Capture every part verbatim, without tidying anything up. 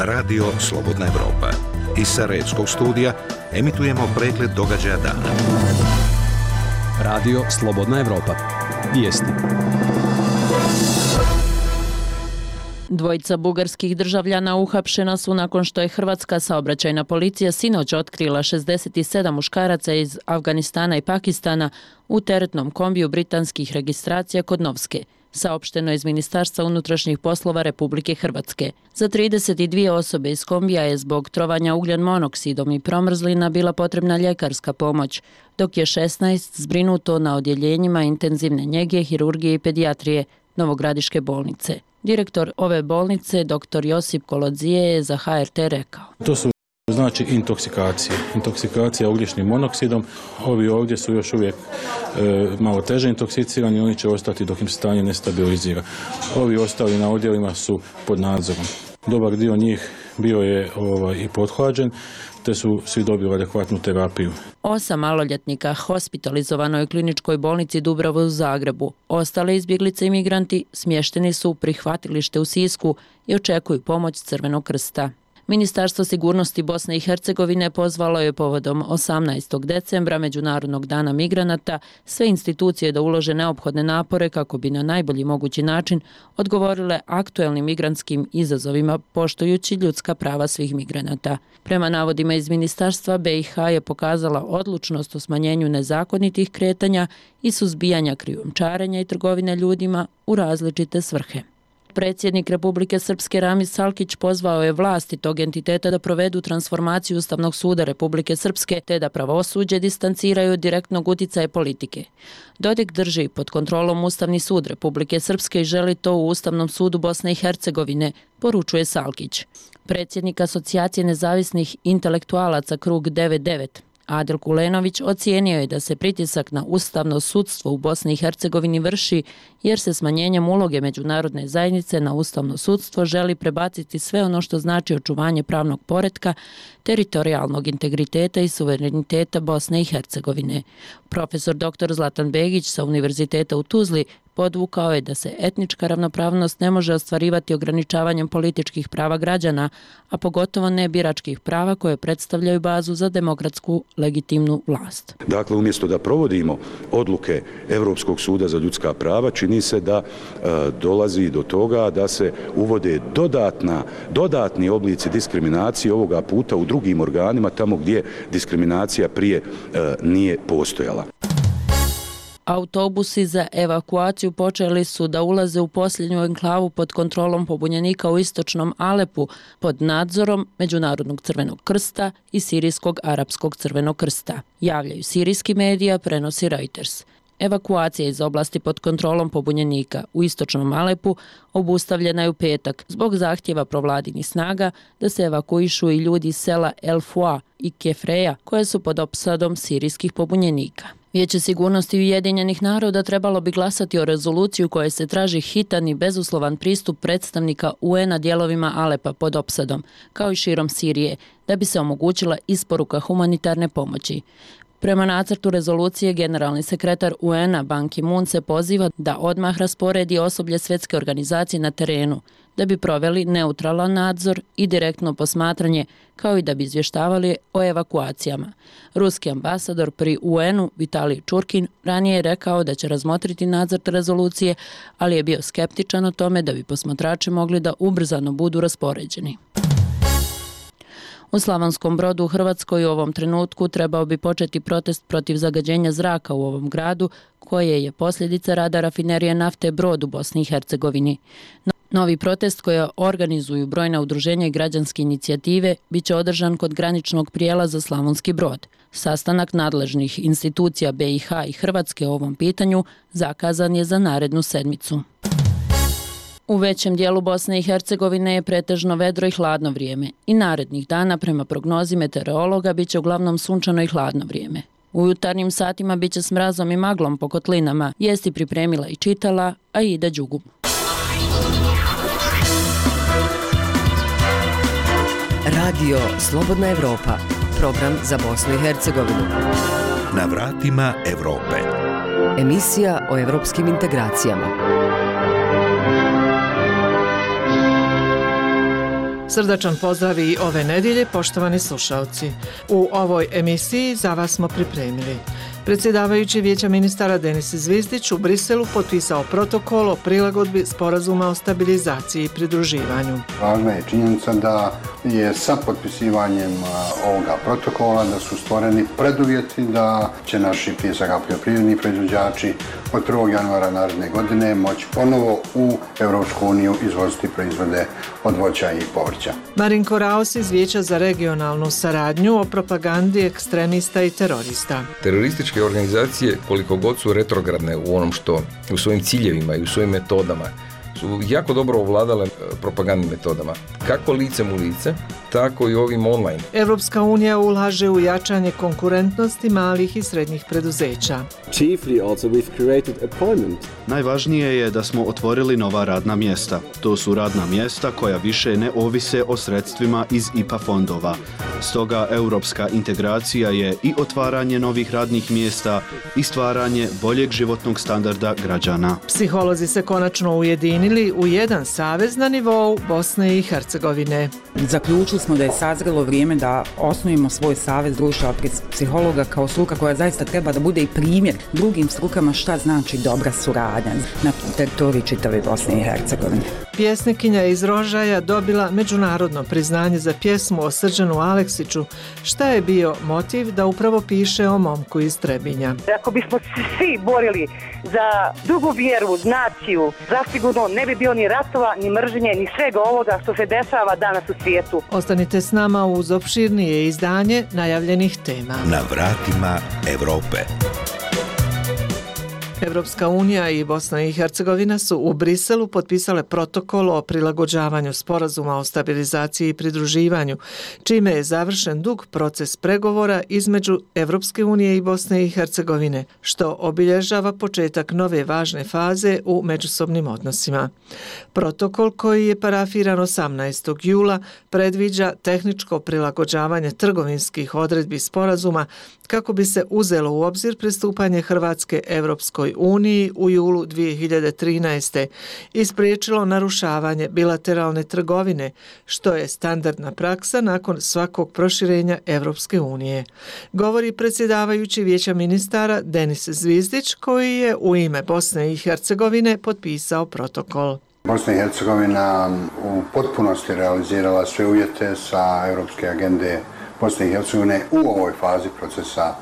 Radio Slobodna Evropa. Iz Sarajevskog studija emitujemo pregled događaja dana. Radio Slobodna Evropa. Vijesti. Dvojica bugarskih državljana uhapšena su nakon što je hrvatska saobraćajna policija sinoć otkrila šezdeset sedam muškaraca iz Afganistana i Pakistana u teretnom kombiju britanskih registracija kod Novske, saopšteno je iz Ministarstva unutrašnjih poslova Republike Hrvatske. Za trideset dvije osobe iz kombija je zbog trovanja ugljen monoksidom i promrzlina bila potrebna ljekarska pomoć, dok je šesnaest zbrinuto na odjeljenjima intenzivne njege, hirurgije i pedijatrije Novogradiške bolnice. Direktor ove bolnice, doktor Josip Kolodzije, je za H R T rekao: To su znači intoksikacije. Intoksikacija ugljičnim monoksidom. Ovi ovdje su još uvijek e, malo teže intoksikirani, oni će ostati dok im stanje ne stabilizira. Ovi ostali na odjelima su pod nadzorom. Dobar dio njih bio je ovaj, i pothlađen, te su svi dobili adekvatnu terapiju. Osam maloljetnika hospitalizovano je u kliničkoj bolnici Dubrava u Zagrebu. Ostale izbjeglice i migranti smješteni su u prihvatilište u Sisku i očekuju pomoć Crvenog krsta. Ministarstvo sigurnosti Bosne i Hercegovine pozvalo je povodom osamnaestog decembra, Međunarodnog dana migranata, sve institucije da ulože neophodne napore kako bi na najbolji mogući način odgovorile aktuelnim migrantskim izazovima poštujući ljudska prava svih migranata. Prema navodima iz ministarstva, B i H je pokazala odlučnost u smanjenju nezakonitih kretanja i suzbijanja krijumčarenja i trgovine ljudima u različite svrhe. Predsjednik Republike Srpske Ramis Salkić pozvao je vlasti tog entiteta da provedu transformaciju Ustavnog suda Republike Srpske te da pravosuđe distanciraju od direktnog uticaja politike. Dodik drži pod kontrolom Ustavni sud Republike Srpske i želi to u Ustavnom sudu Bosne i Hercegovine, poručuje Salkić. Predsjednik Asocijacije nezavisnih intelektualaca Krug devedeset devet Adil Kulenović ocijenio je da se pritisak na ustavno sudstvo u Bosni i Hercegovini vrši jer se smanjenjem uloge međunarodne zajednice na ustavno sudstvo želi prebaciti sve ono što znači očuvanje pravnog poretka, teritorijalnog integriteta i suvereniteta Bosne i Hercegovine. Profesor doktor Zlatan Begić sa Univerziteta u Tuzli podvukao je da se etnička ravnopravnost ne može ostvarivati ograničavanjem političkih prava građana, a pogotovo ne biračkih prava koje predstavljaju bazu za demokratsku legitimnu vlast. Dakle, umjesto da provodimo odluke Europskog suda za ljudska prava, čini se da e, dolazi do toga da se uvode dodatna, dodatni oblici diskriminacije ovoga puta u drugim organima, tamo gdje diskriminacija prije e, nije postojala. Autobusi za evakuaciju počeli su da ulaze u posljednju enklavu pod kontrolom pobunjenika u istočnom Alepu pod nadzorom Međunarodnog crvenog krsta i Sirijskog arapskog crvenog krsta. Javljaju sirijski medija, prenosi Reuters. Evakuacija iz oblasti pod kontrolom pobunjenika u istočnom Alepu obustavljena je u petak zbog zahtjeva provladinih snaga da se evakuišu i ljudi iz sela El Fua i Kefreja koje su pod opsadom sirijskih pobunjenika. Vijeće sigurnosti Ujedinjenih naroda trebalo bi glasati o rezoluciju u kojoj se traži hitan i bezuslovan pristup predstavnika U N-a dijelovima Alepa pod opsadom, kao i širom Sirije, da bi se omogućila isporuka humanitarne pomoći. Prema nacrtu rezolucije, generalni sekretar U N-a Ban Ki-moon se poziva da odmah rasporedi osoblje svjetske organizacije na terenu, da bi proveli neutralan nadzor i direktno posmatranje, kao i da bi izvještavali o evakuacijama. Ruski ambasador pri U N-u Vitalij Čurkin ranije je rekao da će razmotriti nacrt rezolucije, ali je bio skeptičan o tome da bi posmatrači mogli da ubrzano budu raspoređeni. U Slavonskom Brodu u Hrvatskoj u ovom trenutku trebao bi početi protest protiv zagađenja zraka u ovom gradu, koje je posljedica rada rafinerije nafte Brod u Bosni i Hercegovini. Novi protest koji organizuju brojna udruženja i građanske inicijative biće održan kod graničnog prijelaza Slavonski Brod. Sastanak nadležnih institucija B i H i Hrvatske o ovom pitanju zakazan je za narednu sedmicu. U većem dijelu Bosne i Hercegovine je pretežno vedro i hladno vrijeme i narednih dana prema prognozi meteorologa bit će uglavnom sunčano i hladno vrijeme. U jutarnjim satima bit će s mrazom i maglom po kotlinama, vijesti pripremila i čitala Aida Đugum. Radio Slobodna Evropa, program za Bosnu i Hercegovinu. Na vratima Evrope. Emisija o evropskim integracijama. Srdačan pozdrav i ove nedjelje, poštovani slušalci. U ovoj emisiji za vas smo pripremili. Predsjedavajući Vijeća ministara Denis Zvizdić u Briselu potpisao protokol o prilagodbi sporazuma o stabilizaciji i pridruživanju. Važna je činjenica da je sa potpisivanjem ovoga protokola da su stvoreni preduvjeti da će naši prije svega poljoprivredni proizvođači od prvog januara naredne godine moći ponovo u Europsku uniju izvoziti proizvode od voća i povrća. Marinko Raos iz Vijeća za regionalnu saradnju o propagandi ekstremista i terorista. Terorističke organizacije, koliko god su retrogradne u onom što, u svojim ciljevima i u svojim metodama, su jako dobro ovladale propagandnim metodama. Kako licem u lice, tako i ovim online. Evropska unija ulaže u jačanje konkurentnosti malih i srednjih preduzeća. Chiefly also we've created employment. Najvažnije je da smo otvorili nova radna mjesta. To su radna mjesta koja više ne ovise o sredstvima iz I P A fondova. Stoga europska integracija je i otvaranje novih radnih mjesta i stvaranje boljeg životnog standarda građana. Psiholozi se konačno ujedinili u jedan savez na nivou Bosne i Hercegovine. Zaključili smo da je sazrelo vrijeme da osnujemo svoj savez društva psihologa kao struka koja zaista treba da bude i primjer drugim strukama šta znači dobra suradnja na teritoriji čitave Bosne i Hercegovine. Pjesnikinja iz Rožaja dobila međunarodno priznanje za pjesmu o Srđanu Aleksiću. Šta je bio motiv da upravo piše o momku iz Trebinja? Ako bismo svi borili za drugu vjeru, naciju, zasigurno ne bi bilo ni ratova, ni mržnje, ni svega ovoga što se dešava danas u svijetu. Ostanite s nama uz opširnije izdanje najavljenih tema. Na vratima Evrope. Evropska unija i Bosna i Hercegovina su u Briselu potpisale protokol o prilagođavanju sporazuma o stabilizaciji i pridruživanju, čime je završen dug proces pregovora između Evropske unije i Bosne i Hercegovine, što obilježava početak nove važne faze u međusobnim odnosima. Protokol koji je parafiran osamnaestog jula predviđa tehničko prilagođavanje trgovinskih odredbi sporazuma kako bi se uzelo u obzir pristupanje Hrvatske Evropskoj uniji u julu dvije hiljade trinaeste i spriječilo narušavanje bilateralne trgovine, što je standardna praksa nakon svakog proširenja Evropske unije. Govori predsjedavajući Vijeća ministara Denis Zvizdić, koji je u ime Bosne i Hercegovine potpisao protokol. Bosna i Hercegovina u potpunosti realizirala sve uvjete sa Europske agende Bosne i Hercegovine u ovoj fazi procesa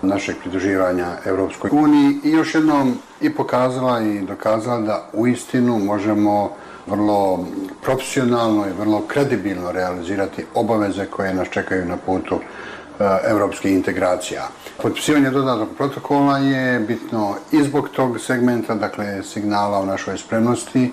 našeg pridruživanja Europskoj uniji i još jednom i pokazala i dokazala da uistinu možemo vrlo profesionalno i vrlo kredibilno realizirati obaveze koje nas čekaju na putu europskih integracija. Potpisivanje dodatnog protokola je bitno i zbog tog segmenta, dakle signala o našoj spremnosti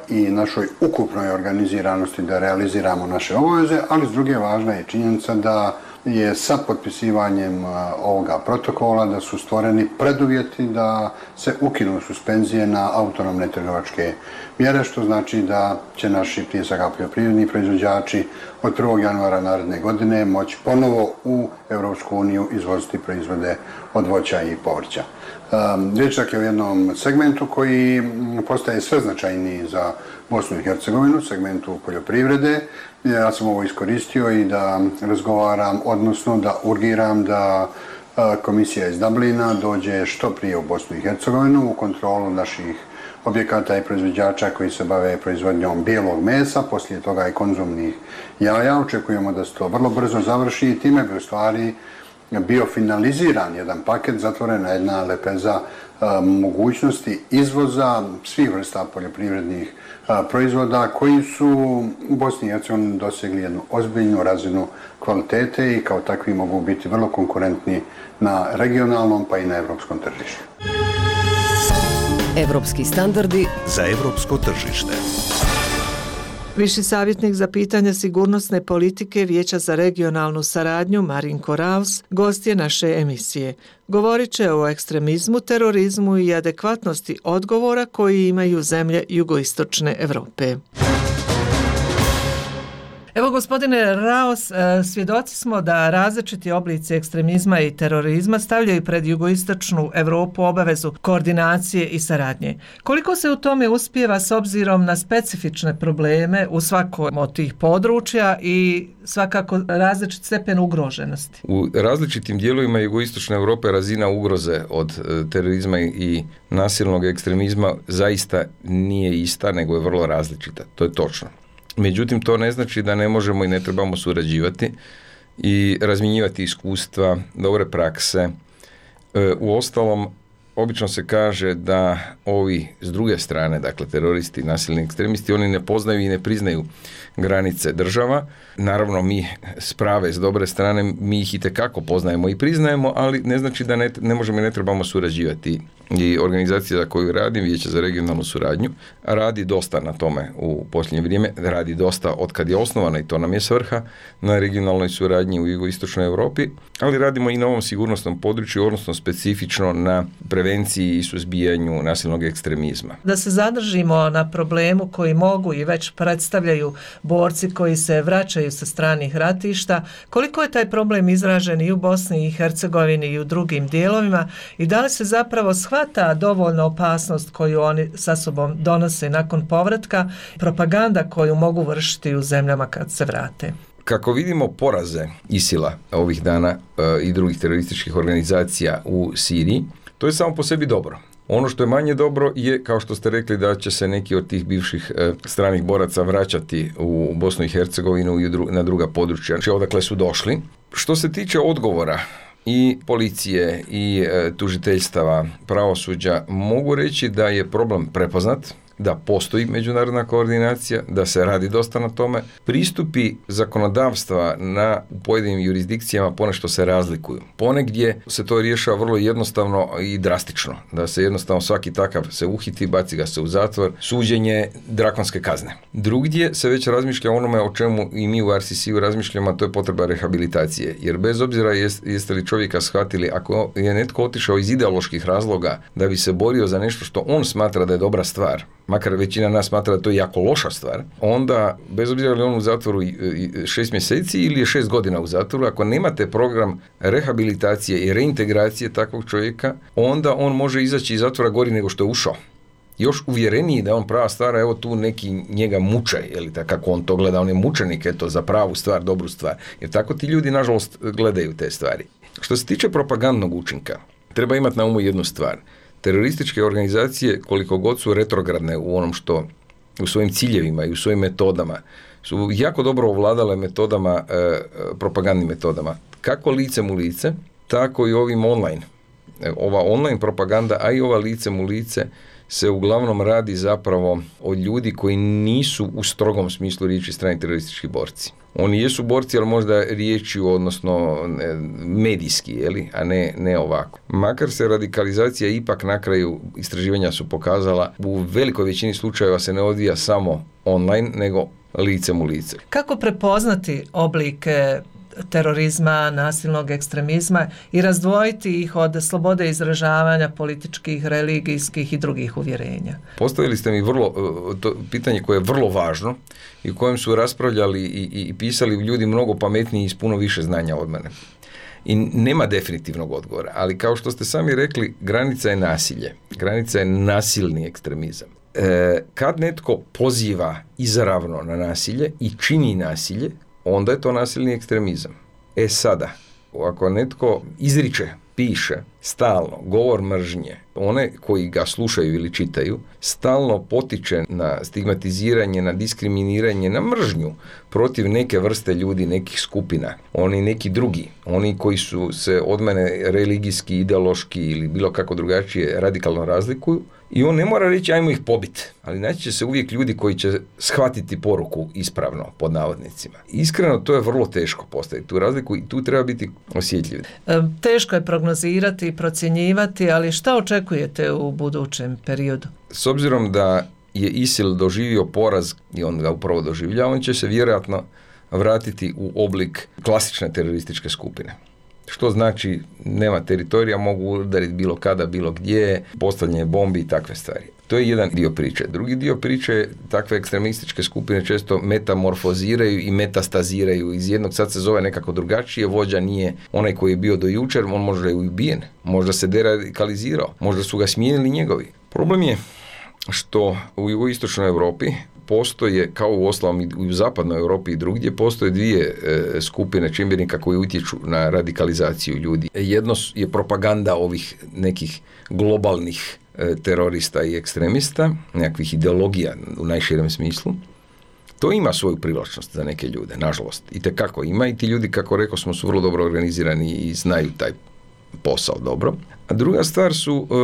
i našoj ukupnoj organiziranosti da realiziramo naše obaveze, ali s druge važna je činjenica da je sa potpisivanjem ovoga protokola da su stvoreni preduvjeti da se ukinu suspenzije na autonomne trgovačke mjere, što znači da će naši prije svega poljoprivredni proizvođači od prvog januara naredne godine moći ponovo u Europsku uniju izvoziti proizvode od voća i povrća. Riječ je o jednom segmentu koji postaje sve značajniji za Bosnu i Hercegovinu, segmentu poljoprivrede. Ja sam ovo iskoristio i da razgovaram, odnosno da urgiram da komisija iz Dublina dođe što prije u Bosnu i Hercegovinu u kontrolu naših objekata i proizvođača koji se bave proizvodnjom bijelog mesa, poslije toga i konzumnih jaja. Očekujemo da se to vrlo brzo završi i time bi u stvari bio finaliziran jedan paket, zatvorena jedna lepeza a, mogućnosti izvoza svih vrsta poljoprivrednih a, proizvoda koji su u Bosni i Hercegovini dosegli jednu ozbiljnu razinu kvalitete i kao takvi mogu biti vrlo konkurentni na regionalnom pa i na evropskom tržištu. Evropski standardi za evropsko tržište. Viši savjetnik za pitanja sigurnosne politike Vijeća za regionalnu saradnju Marinko Raos gost je naše emisije. Govorit će o ekstremizmu, terorizmu i adekvatnosti odgovora koji imaju zemlje jugoistočne Europe. Evo, gospodine Raos, svjedoci smo da različiti oblici ekstremizma i terorizma stavljaju pred jugoistočnu Europu obavezu koordinacije i saradnje. Koliko se u tome uspijeva s obzirom na specifične probleme u svakom od tih područja i svakako različit stepen ugroženosti? U različitim dijelovima jugoistočne Europe razina ugroze od terorizma i nasilnog ekstremizma zaista nije ista, nego je vrlo različita. To je točno. Međutim, to ne znači da ne možemo i ne trebamo surađivati i razmjenjivati iskustva, dobre prakse. U ostalom, obično se kaže da ovi s druge strane, dakle teroristi, nasilni ekstremisti, oni ne poznaju i ne priznaju granice država. Naravno, mi s prave, s dobre strane, mi ih itekako poznajemo i priznajemo, ali ne znači da ne, ne možemo i ne trebamo surađivati. I organizacija za koju radim, Vijeće za regionalnu suradnju, radi dosta na tome u posljednje vrijeme, radi dosta od kad je osnovana i to nam je svrha na regionalnoj suradnji u jugoistočnoj Europi, ali radimo i na ovom sigurnosnom području, odnosno specifično na prevenciji i suzbijanju nasilnog ekstremizma. Da se zadržimo na problemu koji mogu i već predstavljaju borci koji se vraćaju sa stranih ratišta, koliko je taj problem izražen i u Bosni i Hercegovini i u drugim dijelovima i da li se zapravo shvata dovoljno opasnost koju oni sa sobom donose nakon povratka, propaganda koju mogu vršiti u zemljama kad se vrate? Kako vidimo poraze ISIL-a ovih dana e, i drugih terorističkih organizacija u Siriji, to je samo po sebi dobro. Ono što je manje dobro je, kao što ste rekli, da će se neki od tih bivših e, stranih boraca vraćati u Bosnu i Hercegovinu i dru, na druga područja, znači odakle su došli. Što se tiče odgovora i policije i e, tužiteljstava, pravosuđa, mogu reći da je problem prepoznat, da postoji međunarodna koordinacija, da se radi dosta na tome. Pristupi zakonodavstva na pojedinim jurisdikcijama ponešto se razlikuju. Ponegdje se to rješava vrlo jednostavno i drastično, da se jednostavno svaki takav se uhiti, baci ga se u zatvor, suđenje, drakonske kazne. Drugdje se već razmišlja o onome o čemu i mi u R C C-u razmišljamo, a to je potreba rehabilitacije. Jer bez obzira jest, jeste li čovjeka shvatili, ako je netko otišao iz ideoloških razloga da bi se borio za nešto što on smatra da je dobra stvar, makar većina nas smatra da to je jako loša stvar, onda, bez obzira li on u zatvoru šest mjeseci ili je šest godina u zatvoru, ako nemate program rehabilitacije i reintegracije takvog čovjeka, onda on može izaći iz zatvora gori nego što je ušao. Još uvjereniji da je on prava stvar, evo tu neki njega muče, ili tako kako on to gleda, on je mučenik, eto, za pravu stvar, dobru stvar. Jer tako ti ljudi, nažalost, gledaju te stvari. Što se tiče propagandnog učinka, treba imati na umu jednu stvar. Terorističke organizacije, koliko god su retrogradne u onom što, u svojim ciljevima i u svojim metodama, su jako dobro ovladale metodama, e, propagandnim metodama. Kako licem u lice, tako i ovim online. E, ova online propaganda, a i ova licem u lice, se uglavnom radi zapravo od ljudi koji nisu u strogom smislu riječi strani teroristički borci. Oni jesu borci, ali možda riječju, odnosno medijski, jeli, a ne, ne ovako. Makar se radikalizacija ipak na kraju istraživanja su pokazala, u velikoj većini slučajeva se ne odvija samo online, nego licem u lice. Kako prepoznati oblike terorizma, nasilnog ekstremizma i razdvojiti ih od slobode izražavanja političkih, religijskih i drugih uvjerenja? Postavili ste mi vrlo, to pitanje koje je vrlo važno i u kojem su raspravljali i, i, i pisali ljudi mnogo pametniji i s puno više znanja od mene. I nema definitivnog odgovora, ali kao što ste sami rekli, granica je nasilje. Granica je nasilni ekstremizam. E, kad netko poziva izravno na nasilje i čini nasilje, onda je to nasilni ekstremizam. E sada, ako netko izriče, piše, stalno, govor mržnje, one koji ga slušaju ili čitaju, stalno potiče na stigmatiziranje, na diskriminiranje, na mržnju protiv neke vrste ljudi, nekih skupina, oni neki drugi, oni koji su se od mene religijski, ideološki ili bilo kako drugačije radikalno razlikuju, i on ne mora reći ajmo ih pobiti, ali naći će se uvijek ljudi koji će shvatiti poruku ispravno, pod navodnicima. Iskreno, to je vrlo teško postaviti tu razliku i tu treba biti osjetljiv. Teško je prognozirati i procjenjivati, ali šta očekujete u budućem periodu? S obzirom da je ISIL doživio poraz i on ga upravo doživlja, on će se vjerojatno vratiti u oblik klasične terorističke skupine. Što znači nema teritorija, mogu udariti bilo kada, bilo gdje, postavljanje bombi i takve stvari. To je jedan dio priče. Drugi dio priče je takve ekstremističke skupine često metamorfoziraju i metastaziraju. Iz jednog sad se zove nekako drugačije, vođa nije onaj koji je bio do jučer, on možda je ubijen, možda se deradikalizirao, možda su ga smijenili njegovi. Problem je što u jugoistočnoj Europi postoje, kao u ostalom i u zapadnoj Europi i drugdje, postoje dvije e, skupine čimbenika koji utječu na radikalizaciju ljudi. Jedno je propaganda ovih nekih globalnih e, terorista i ekstremista, nekakvih ideologija u najširem smislu. To ima svoju privlačnost za neke ljude, nažalost. I tekako ima i ti ljudi, kako rekao smo, su vrlo dobro organizirani i znaju taj posao dobro. A druga stvar su e,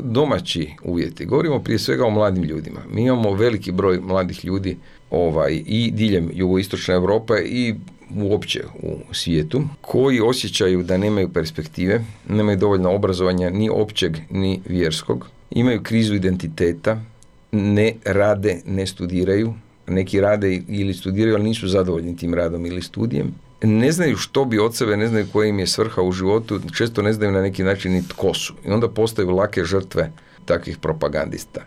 domaći uvjeti. Govorimo prije svega o mladim ljudima. Mi imamo veliki broj mladih ljudi ovaj, i diljem jugoistočne Europe i uopće u svijetu, koji osjećaju da nemaju perspektive, nemaju dovoljno obrazovanja ni općeg ni vjerskog, imaju krizu identiteta, ne rade, ne studiraju, neki rade ili studiraju, ali nisu zadovoljni tim radom ili studijem. Ne znaju što bi od sebe, ne znaju koja im je svrha u životu, često ne znaju na neki način ni tko su. I onda postaju lake žrtve takvih propagandista.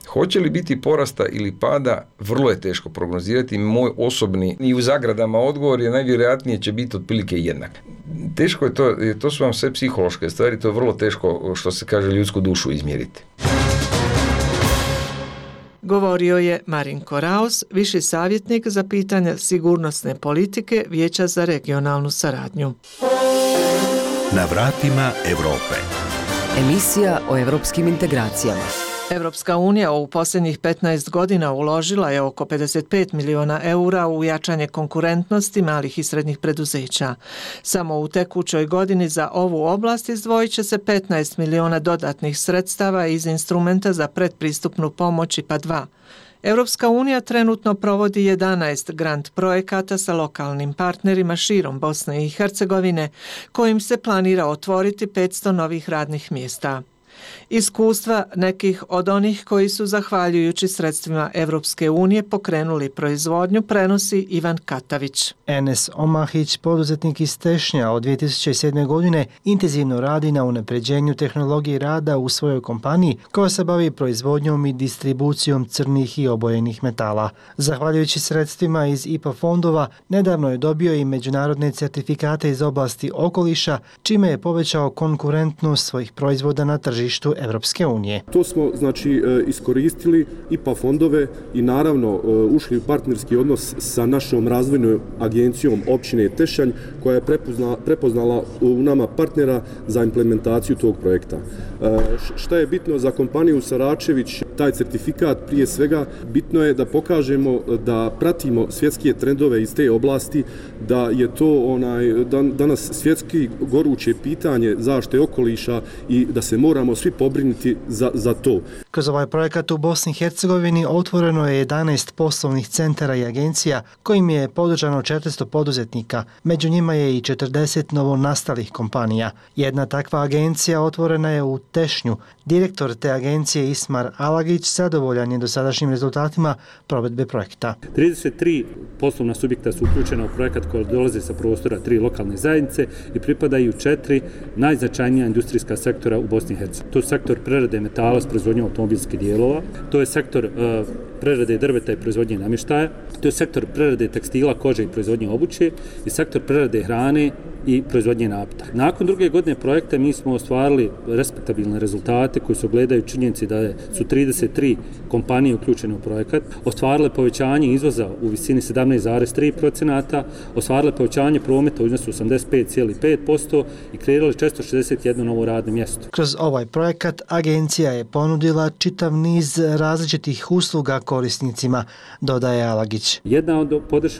Hoće li biti porasta ili pada, vrlo je teško prognozirati. Moj osobni i u zagradama odgovor je najvjerojatnije će biti otprilike jednak. Teško je to, to su vam sve psihološke stvari, to je vrlo teško, što se kaže, ljudsku dušu izmjeriti. Govorio je Marinko Raos, viši savjetnik za pitanja sigurnosne politike Vijeća za regionalnu saradnju. Na vratima Europe. Emisija o europskim integracijama. Evropska unija u posljednjih petnaest godina uložila je oko pedeset pet miliona eura u jačanje konkurentnosti malih i srednjih preduzeća. Samo u tekućoj godini za ovu oblast izdvojit će se petnaest miliona dodatnih sredstava iz instrumenta za predpristupnu pomoć I P A dva. Evropska unija trenutno provodi jedanaest grant projekata sa lokalnim partnerima širom Bosne i Hercegovine, kojim se planira otvoriti petsto novih radnih mjesta. Iskustva nekih od onih koji su zahvaljujući sredstvima Evropske unije pokrenuli proizvodnju prenosi Ivan Katavić. Enes Omahić, poduzetnik iz Tešnja, od dvije tisuće sedme. godine intenzivno radi na unapređenju tehnologije rada u svojoj kompaniji koja se bavi proizvodnjom i distribucijom crnih i obojenih metala. Zahvaljujući sredstvima iz I P A fondova, nedavno je dobio i međunarodne certifikate iz oblasti okoliša, čime je povećao konkurentnost svojih proizvoda na tržištu Evropske unije. To smo znači iskoristili I P A fondove i naravno ušli u partnerski odnos sa našom razvojnom agencijom općine Tešanj, koja je prepoznala, prepoznala u nama partnera za implementaciju tog projekta. Šta je bitno za kompaniju Saračević, taj certifikat prije svega, bitno je da pokažemo da pratimo svjetske trendove iz te oblasti, da je to onaj danas svjetski goruće pitanje zaštite okoliša i da se moramo svi pobrinuti za, za to. Kroz ovaj projekat u Bosni i Hercegovini otvoreno je jedanaest poslovnih centara i agencija kojim je podržano četiristo poduzetnika. Među njima je i četrdeset novonastalih kompanija. Jedna takva agencija otvorena je u Tešnju. Direktor te agencije Ismar Alagić zadovoljan je dosadašnjim rezultatima provedbe projekta. trideset tri poslovna subjekta su uključena u projekat koji dolaze sa prostora tri lokalne zajednice i pripadaju četiri najznačajnija industrijska sektora u Bosni i Hercegovini. To je sektor prerade metala s proizvodnjom automobilskih dijelova, to je sektor uh, prerade drveta i proizvodnje namještaja, to je sektor prerade tekstila, kože i proizvodnje obuće i sektor prerade hrane i proizvodnje nafta. Nakon druge godine projekta mi smo ostvarili respektabilne rezultate koji se ogledaju činjenici da su trideset tri kompanije uključene u projekat, ostvarile povećanje izvoza u visini sedamnaest zarez tri posto, ostvarile povećanje prometa u iznosu osamdeset pet zarez pet posto i kreirali četiristo šezdeset jedno novo radno mjesto. Kroz ovaj projekat agencija je ponudila čitav niz različitih usluga korisnicima, dodaje Alagić. Jedna od podrš,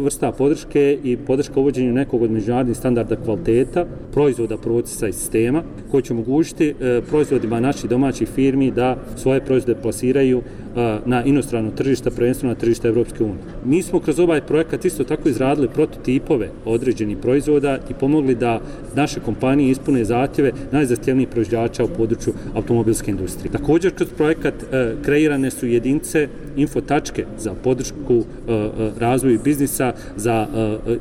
vrsta podrške i podrška uvođenju nekog od međunarodnih standarda kvaliteta, proizvoda, procesa i sistema, koji će omogućiti e, proizvodima naših domaćih firmi da svoje proizvode plasiraju e, na inostrano tržište, prvenstveno na tržište Evropske unije. Mi smo kroz ovaj projekat isto tako izradili prototipove određenih proizvoda i pomogli da naše kompanije ispune zahtjeve najzahtjevnijih proizvođača u području automobilske industrije. Također kroz projekat e, kreirane su jedinice infotačke za podršku razvoju biznisa, za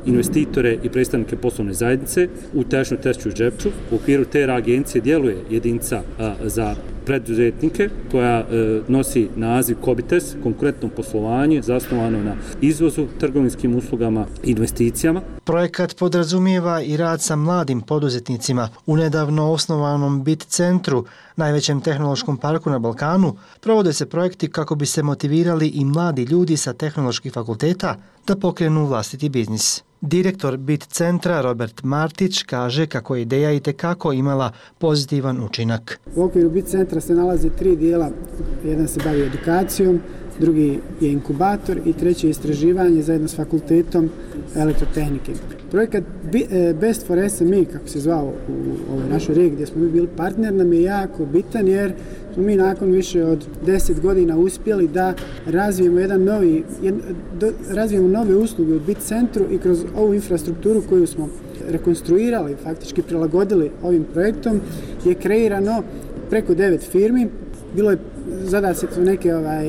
investitore i predstavnike poslovne zajednice u Tešnju Tešću i Žepču. U okviru te agencije djeluje jedinca za preduzetnike koja e, nosi naziv Kobites, konkurentno poslovanje zasnovano na izvozu, trgovinskim uslugama i investicijama. Projekat podrazumijeva i rad sa mladim poduzetnicima. U nedavno osnovanom Bit centru, najvećem tehnološkom parku na Balkanu, provode se projekti kako bi se motivirali i mladi ljudi sa tehnoloških fakulteta da pokrenu vlastiti biznis. Direktor Bit centra Robert Martić kaže kako je ideja itekako imala pozitivan učinak. U okviru Bit centra se nalazi tri dijela. Jedan se bavi edukacijom, drugi je inkubator i treći je istraživanje zajedno s fakultetom elektrotehnike. Projekat Best for S M E, kako se zvao u ovoj našoj regiji gdje smo mi bili partner, nam je jako bitan jer smo mi nakon više od deset godina uspjeli da razvijemo jedan novi, jed, do, razvijemo nove usluge u Bit centru i kroz ovu infrastrukturu koju smo rekonstruirali, faktički prilagodili ovim projektom, je kreirano preko devet firmi. Bilo je zada se tu neke ovaj,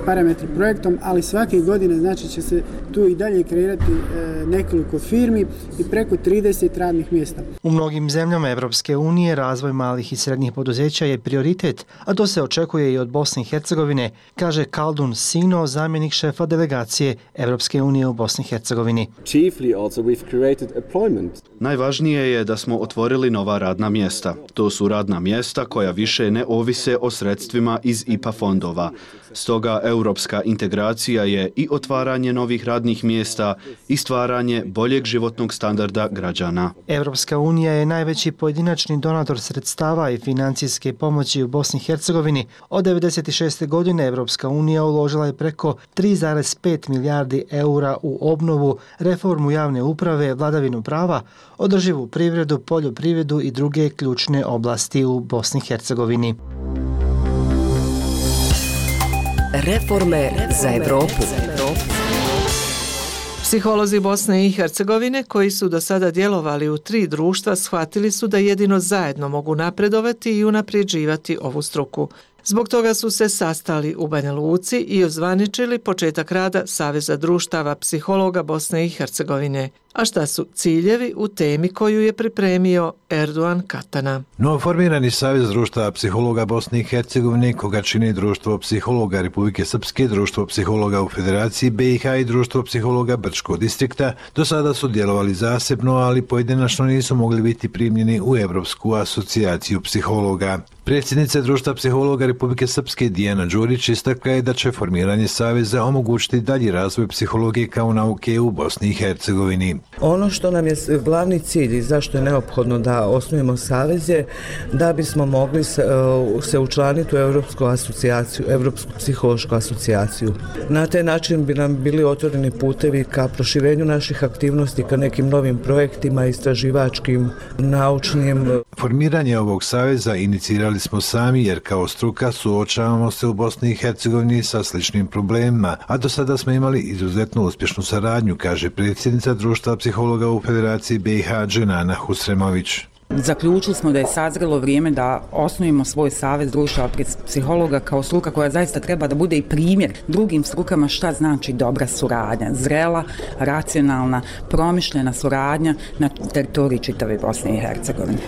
parametri projektom, ali svake godine znači će se tu i dalje kreirati e, nekoliko firmi i preko trideset radnih mjesta. U mnogim zemljama Evropske unije razvoj malih i srednjih poduzeća je prioritet, a to se očekuje i od Bosne i Hercegovine, kaže Kaldun Sino, zamjenik šefa delegacije Evropske unije u Bosni i Hercegovini. Chiefly also we've created employment. Najvažnije je da smo otvorili nova radna mjesta. To su radna mjesta koja više ne ovise o sredstvima iz I P A fondova. Stoga europska integracija je i otvaranje novih radnih mjesta i stvaranje boljeg životnog standarda građana. Evropska unija je najveći pojedinačni donator sredstava i financijske pomoći u Bosni i Hercegovini. Od devedeset šeste. godine Evropska unija uložila je preko tri zarez pet milijardi eura u obnovu, reformu javne uprave, vladavinu prava, održivu privredu, poljoprivredu i druge ključne oblasti u Bosni i Hercegovini. Reforme za Evropu. Psiholozi Bosne i Hercegovine koji su do sada djelovali u tri društva shvatili su da jedino zajedno mogu napredovati i unapređivati ovu struku. Zbog toga su se sastali u Banja Luci i ozvaničili početak rada Saveza društava psihologa Bosne i Hercegovine. A šta su ciljevi u temi koju je pripremio Erdogan Katana? Novoformirani Savez društava psihologa Bosne i Hercegovine, koga čini Društvo psihologa Republike Srpske, Društvo psihologa u Federaciji B i H i Društvo psihologa Brčkog distrikta, do sada su djelovali zasebno, ali pojedinačno nisu mogli biti primljeni u Evropsku asocijaciju psihologa. Predsjednica Društva psihologa Republike Srpske Dijana Đurić istakla je da će formiranje Saveza omogućiti dalji razvoj psihologije kao nauke u Bosni i Hercegovini. Ono što nam je glavni cilj i zašto je neophodno da osnujemo savez je da bismo mogli se, se učlaniti u Evropsku asocijaciju, Evropsku psihološku asocijaciju. Na taj način bi nam bili otvoreni putevi ka proširenju naših aktivnosti, ka nekim novim projektima, istraživačkim, naučnim. Formiranje ovog saveza inicirali smo sami jer kao struka suočavamo se u Bosni i Hercegovini sa sličnim problemima, a do sada smo imali izuzetno uspješnu saradnju, kaže predsjednica Društva psihologa u Federaciji B i H Dženana Husremović. Zaključili smo da je sazrelo vrijeme da osnujemo svoj savez društava psihologa kao struka koja zaista treba da bude i primjer drugim strukama šta znači dobra suradnja, zrela, racionalna, promišljena suradnja na teritoriji čitave Bosne i Hercegovine.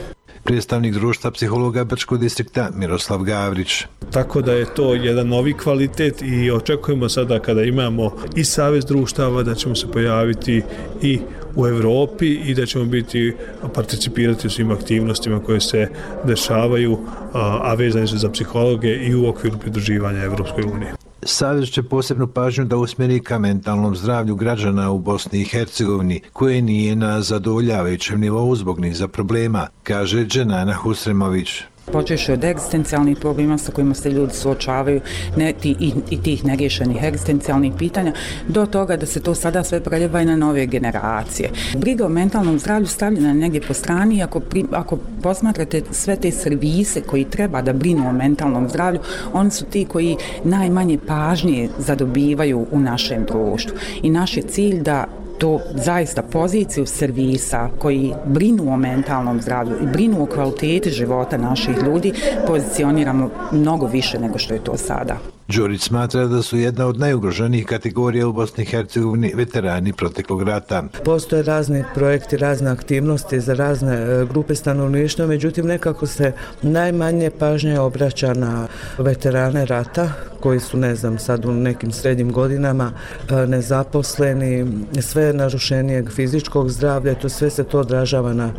Predstavnik Društva psihologa Brčkog distrikta Miroslav Gavrić. Tako da je to jedan novi kvalitet i očekujemo sada kada imamo i savez društava da ćemo se pojaviti i u Europi i da ćemo biti participirati u svim aktivnostima koje se dešavaju, a vezane su za psihologe i u okviru pridruživanja Evropskoj uniji. Savez će posebnu pažnju da usmjeri ka mentalnom zdravlju građana u Bosni i Hercegovini, koje nije na zadovoljavajućem nivou zbog niza problema, kaže Dženana Husremović. Počeši od egzistencijalnih problema sa kojima se ljudi suočavaju ne, ti, i, i tih nerješenih egzistencijalnih pitanja, do toga da se to sada sve preljeva i na nove generacije. Briga o mentalnom zdravlju stavljena je negdje po strani. Ako, pri, ako posmatrate sve te servise koji treba da brinu o mentalnom zdravlju, oni su ti koji najmanje pažnje zadobivaju u našem društvu. I naš je cilj da to zaista poziciju servisa koji brinu o mentalnom zdravlju i brinu o kvaliteti života naših ljudi pozicioniramo mnogo više nego što je to sada. Đurić smatra da su jedna od najugroženijih kategorija u Bosni i Hercegovini veterani proteklog rata. Postoje razni projekti, razne aktivnosti za razne grupe stanovništva, međutim nekako se najmanje pažnje obraća na veterane rata koji su, ne znam, sad u nekim srednjim godinama nezaposleni, sve narušenijeg fizičkog zdravlja, to sve se to odražava na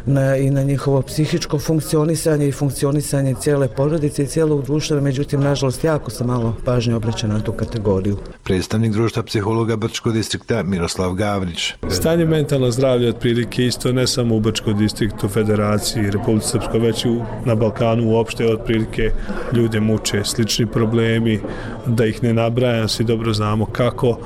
Na, i na njihovo psihičko funkcionisanje i funkcionisanje cijele porodice i cijelog društva, međutim, nažalost, jako se malo pažnje obraća na tu kategoriju. Predstavnik društva psihologa Brčkog distrikta Miroslav Gavrić. Stanje mentalno zdravlje otprilike isto ne samo u Brčkom distriktu, Federaciji, Republici Srpskoj, već i na Balkanu uopšte otprilike ljude muče slični problemi, da ih ne nabrajam, svi dobro znamo kako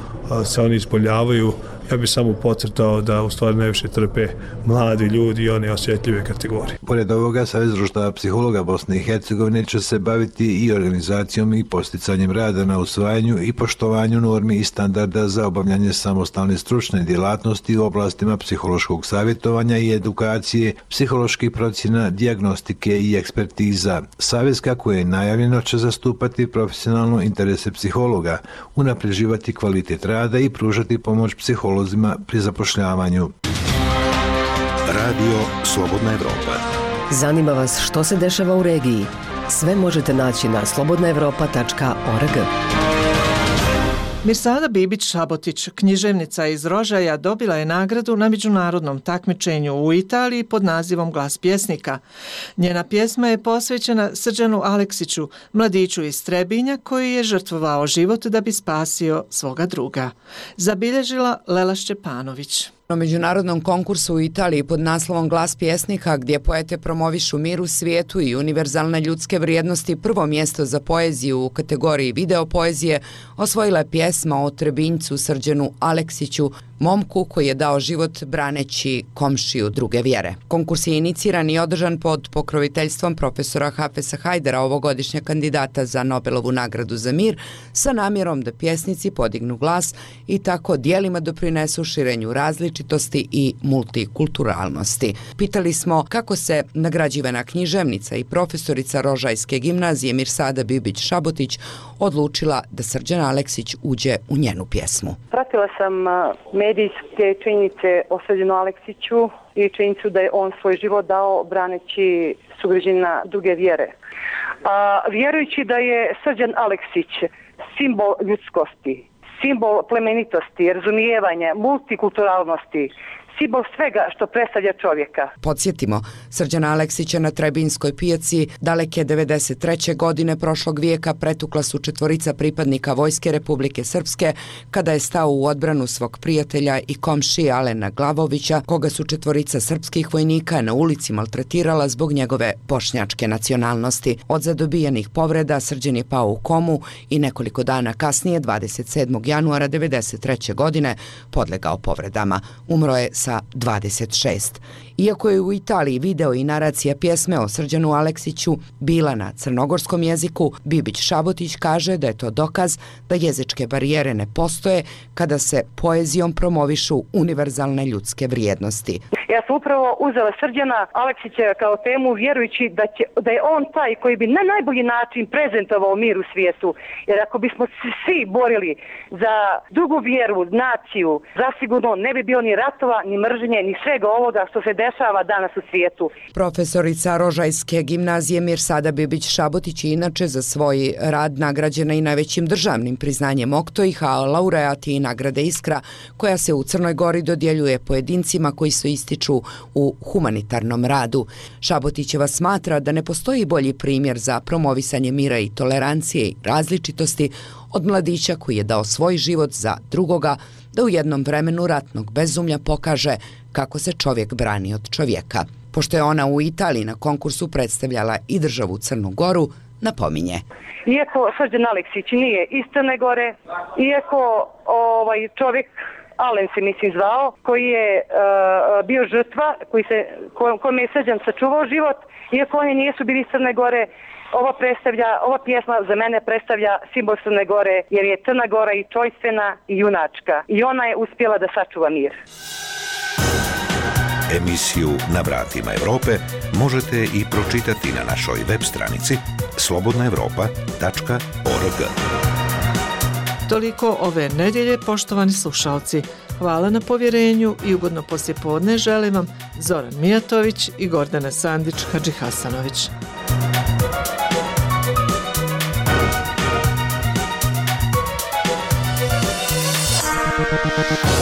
se oni ispoljavaju. Ja bih samo podcrtao da u stvari najviše trpe mladi ljudi i one osjetljive kategorije. Pored ovoga, Savez društava psihologa Bosne i Hercegovine će se baviti i organizacijom i posticanjem rada na usvajanju i poštovanju normi i standarda za obavljanje samostalne stručne djelatnosti u oblastima psihološkog savjetovanja i edukacije, psiholoških procjena, dijagnostike i ekspertiza. Savez, kako je najavljeno, će zastupati profesionalno interese psihologa, unapređivati kvalitet rada i pružati pomoć psiholozima pri zapošljavanju. Radio Slobodna Evropa. Zanima vas što se dešava u regiji? Sve možete naći na slobodna evropa tačka org. Mirsada Bibić-Šabotić, književnica iz Rožaja, dobila je nagradu na međunarodnom takmičenju u Italiji pod nazivom Glas pjesnika. Njena pjesma je posvećena Srđanu Aleksiću, mladiću iz Trebinja koji je žrtvovao život da bi spasio svoga druga. Zabilježila Lela Šćepanović. Na međunarodnom konkursu u Italiji pod naslovom Glas pjesnika, gdje poete promovišu mir u svijetu i univerzalne ljudske vrijednosti, prvo mjesto za poeziju u kategoriji video poezije osvojila je pjesma o Trebinjcu Srđanu Aleksiću, momku koji je dao život braneći komšiju druge vjere. Konkurs je iniciran i održan pod pokroviteljstvom profesora Hafesa Hajdara, ovogodišnjeg kandidata za Nobelovu nagradu za mir, sa namjerom da pjesnici podignu glas i tako dijelima doprinesu širenju različitosti i multikulturalnosti. Pitali smo kako se nagrađivana književnica i profesorica Rožajske gimnazije Mirsada Bibić-Šabotić odlučila da Srđan Aleksić uđe u njenu pjesmu. Pratila sam medijske činjenice o Srđanu Aleksiću i činjenicu da je on svoj život dao braneći sugrađanina druge vjere. A, vjerujući da je Srđan Aleksić simbol ljudskosti, simbol plemenitosti, razumijevanja, multikulturalnosti, simbol svega što predstavlja čovjeka. Podsjetimo, Srđana Aleksića na Trebinjskoj pijaci daleke devedeset treće godine prošlog vijeka pretukla su četvorica pripadnika Vojske Republike Srpske kada je stao u odbranu svog prijatelja i komšije Alena Glavovića, koga su četvorica srpskih vojnika na ulici maltretirala zbog njegove bošnjačke nacionalnosti. Od zadobijenih povreda Srđan je pao u komu i nekoliko dana kasnije, dvadeset sedmog januara devedeset treće godine, podlegao povredama. Umro je sa dvadeset šest. Iako je u Italiji video i naracija pjesme o Srđanu Aleksiću bila na crnogorskom jeziku, Bibić-Šabotić kaže da je to dokaz da jezičke barijere ne postoje kada se poezijom promovišu univerzalne ljudske vrijednosti. Ja sam upravo uzela Srđana Aleksića kao temu vjerujući da, će, da je on taj koji bi na najbolji način prezentovao mir u svijetu. Jer ako bismo svi borili za drugu vjeru, naciju, zasigurno ne bi bilo ni ratova, ni mržnje, ni svega ovoga što se dešava danas u svijetu. Profesorica Rožajske gimnazije Mirsada Bibić-Šabotić je inače za svoj rad nagrađena i najvećim državnim priznanjem Oktojih, a laureat je i nagrade Iskra, koja se u Crnoj Gori dodjeljuje pojedincima koji su ističu u humanitarnom radu. Šabotićeva smatra da ne postoji bolji primjer za promovisanje mira i tolerancije i različitosti od mladića koji je dao svoj život za drugoga, da u jednom vremenu ratnog bezumlja pokaže kako se čovjek brani od čovjeka. Pošto je ona u Italiji na konkursu predstavljala i državu Crnu Goru, napominje. Iako Srđan Aleksić nije iz Crne Gore, iako ovaj čovjek Alen se mislim zvao, koji je uh, bio žrtva, koji se, kojom je Srđan sačuvao život, iako oni nisu bili iz Crne Gore, ova predstavlja, ova pjesma za mene predstavlja simbol Crne Gore, jer je Crna Gora i čojstvena i junačka. I ona je uspjela da sačuva mir. Emisiju Na vratima Europe možete i pročitati na našoj web stranici slobodna europa tačka org. Toliko ove nedjelje, poštovani slušalci. Hvala na povjerenju i ugodno poslijepodne želim vam Zoran Mijatović i Gordana Sandić-Hadžihasanović. We'll be right back.